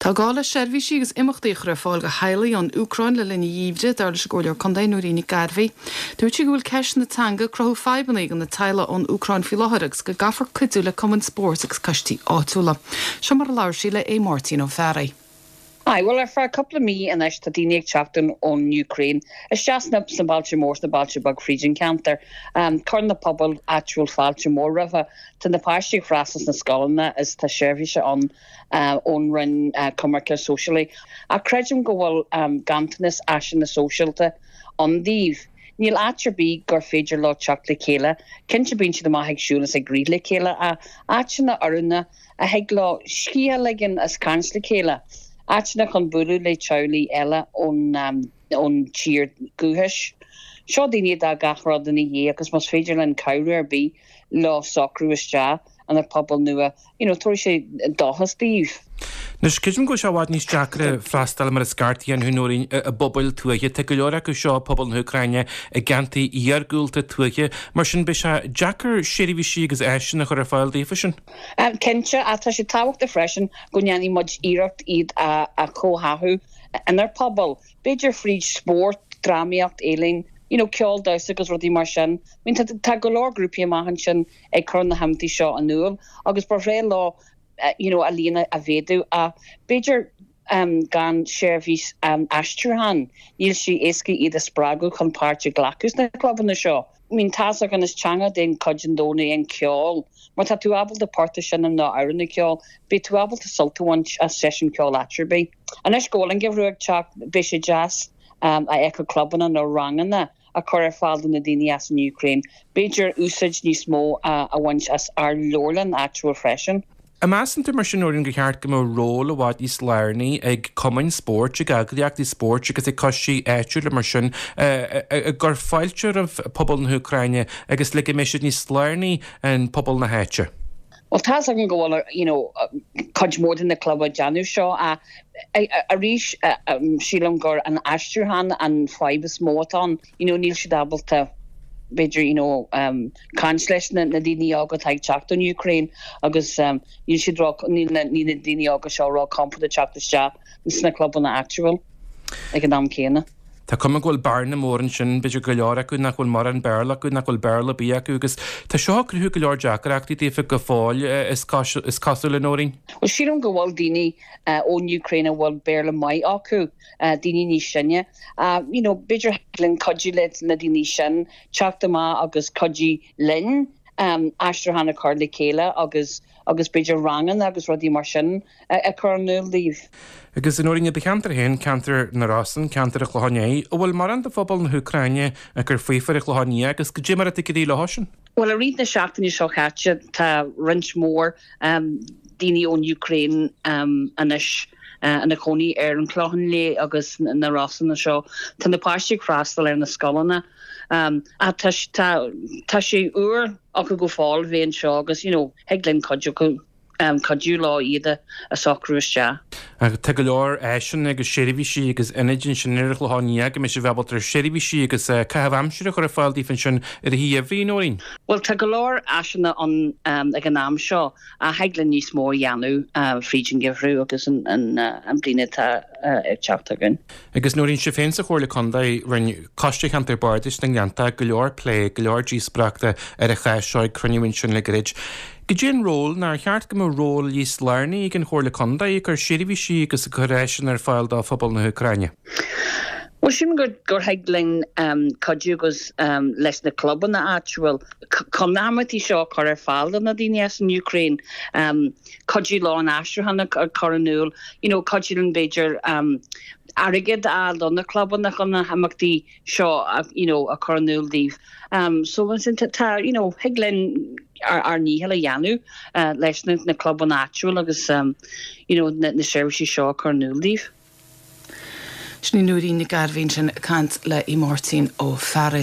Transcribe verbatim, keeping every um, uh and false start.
Tá gá le seirbhísí agus imeachtaí a chur ar fáil do theaghlaigh ón Úcráin le linn an gheimhridh dar leis an gComhairleoir Contae Nóirín Nic Gairbhí. Dúirt sí go bhfuil ceist na teanga ag cruthú fadhbanna do na teaghlaigh ón Úcráin faoi láthair agus go gcaithfear cuidiú le cumainn spóirt agus coistí áitiúla. Seo mar a labhair sí le é Máirtín Ó Fearraigh. Aye, well ar feadh cúpla mí anois tá daoine ag teacht ón Ukraine. Isteach sna sna bailte mór sna bailte beag fríd an ceantar. Um, Chuir na pobail áitiúil fáilte mór roimhe Tá na páistí ag freastal sna scoileanna is tá seirbhís ann uh, ón Roinn uh, Coimirce Sóisialaí. A creidim go bhfuil um, ganntanas áiseanna sóisialta ann dóibh. Níl áit ar bith gur féidir leo teacht le chéile, Cinnte bíonn siad amach ag siúl is ag rith le chéile a áiteanna oiriúnacha a thig leo scíth a ligean is caint le chéile. Áiteanna chun bualadh le teaghlaigh eile ón um, ón tír dhúchais. Seo daoine dá gach rud ina dhiaidh agus más féidir linn cabhrú ar bith leo socrú isteach ina bpobal nua, you know, tabharfaidh sé dóchas dóibh. Anois creidim go sé i bhfad níos deacra freastal mar is ceart ar dhaoine i bpobail tuaithe Tá go leor acu seo pobal na hÚcráine i gceantair iargúlta tuaithe, mar sin beidh sé deacair seirbhísí agus áiseanna a chur ar fáil daofa sin. Um, Cinnte a tá sé tábhachtach freisin go ndéanfaidh muid iarracht iad a, a chomhtháthú inár bpobal. B'fhéidir fríd spórt, drámaíocht ealaín, you know, ceol damhsa agus rudaí mar sin. I mean, tá, tá go leor grúpaí amach ansin ag cur na himeachtaí seo in iúl agus ba bhreá leo uh, you know, a líon a mhéadú a b'fhéidir um, gan seirbhís um, aistriúcháin níl sé éasca iad a spreagadh chun páirt a ghlacadh sna clubanna seo. I mean tá gan is teanga den chuid den domhan é an ceol, mar tá tú ábalta port a sheinm nó amhrán a cheol, beidh tú ábalta sult a bhaint as seisiún ceoil áit ar bith. Anois go bhfuil an geimhreadh ag teacht beidh sé deas um, a fheiceáil clubanna nó ranganna a chur ar fáil do na daoine as an Ukraine. B'fhéidir úsáid níos mó a, a bhaint as ár leabharlann áitiúil freisin. An measann tú mar sin Nóirín gur cheart go mbeadh ról i bhfad níos lárnaí ag cumainn spóirt ag eagraíochtaí spóirt agus ag coistí áitiúla mar sin ag cur fáilte roimh pobal na hÚcráine agus le go mbeidh siad níos lárnaí i bpobal na háite. Well tá an go bhfuil you know cuid mór de na club déanamh seo a arís sílim gur an aistriúchán an fadhb is mó atá you know níl siad ábalta b'fhéidir you know um, caint leis na, na daoine óga atá ag teacht ón Ukraine agus um, níl siad níl na, ní na daoine óga seo ró-chompordach teacht isteach sna clubanna áitiúil ag an am céanna. Tá cuma go bhfuil bearna mór ansin b'fhéidir go leor acu nach bhfuil mórán Béarla acu nach bhfuil Béarla ar bith acu agus tá seo ag cruthú go leor deacrachtaí daofa go fóill is is cosúil a Nóirín. Well sílim go bhfuil daoine uh, ón Ukraine a bhfuil Béarla maith acu uh, daoine níos sine. Uh, you know, b'fhéidir linn cuidiú le na daoine sin teacht amach agus cuidiú linn um, aistriúchán a chur le chéile agus agus b'fhéidir ranganna agus rudaí mar sin a chur in iúl dóibh. Agus a Nóirín i do cheantar féin ceantar na Rosann ceantar an Chlocháin Léith, an bhfuil mórán de phobal na hÚcráine ag cur faofa ar an Chlochán Liath agus goidé mar atá ag éirí leo sin. Well i rith na seachtaine seo caite tá roinnt mór um, daoine ón Ukraine um, anois uh, ina gcónaí ar an Chlochán Liath agus na Rosanna seo. Tá na páistí ag freastal ar na scoileanna. Um, a tá tá sé úr acu go fóill bheith anseo agus you know, thig linn cuidiú um, cuidiú leo iad a socrú isteach. Tá go leor áiseanna agus seirbhísí agus ionaid ansin ar an Chlochán Liath go mbeidh sibh ábalta seirbhísí agus caitheamh aimsire chur ar fáil daofa ansin i rith an gheimhridh Nóirín. Well tá go leor áiseanna an um, ag an am seo a thig linn níos mó a dhéanamh uh, fríd an gheimhreadh agus an, an, uh, an bliana atá uh, ag teacht againn. Agus Nóirín sibh féin sa Chomhairle Contae rinne Coiste Cheantar Bardais na nGleannta go leor plé go leor díospóireachta ar an chás seo ag cruinniú sin le gairid. Goidé an ról nár cheart go mbeadh ról níos lárnaí ag an Chomhairle Contae ag cur seirbhísí agus ag cur áiseanna ar fáil do phobal na hÚcráine. Well sílim gur gur thig linn um, cuidiú agus um, leis na clubanna áitiúil chun na himeachtaí seo chur ar fáil do na daoine as an Ukraine um, cuidiú leo an aistriúchán a chur in iúl you know, cuidiú linn b'fhéidir um, airgead a fháil do na clubanna chun na himeachtaí seo a, you know, a chur in iúl dóibh. Um, so sin tá you know, thig linn ár ár ndícheall a dhéanamh uh, leis na, na clubanna áitiúil agus um, you know, na, na seirbhísí seo a chur in iúl dóibh. Sin Nóirín Nic Gairbhí ansin ag caint le í Máirtín Ó Fearraigh.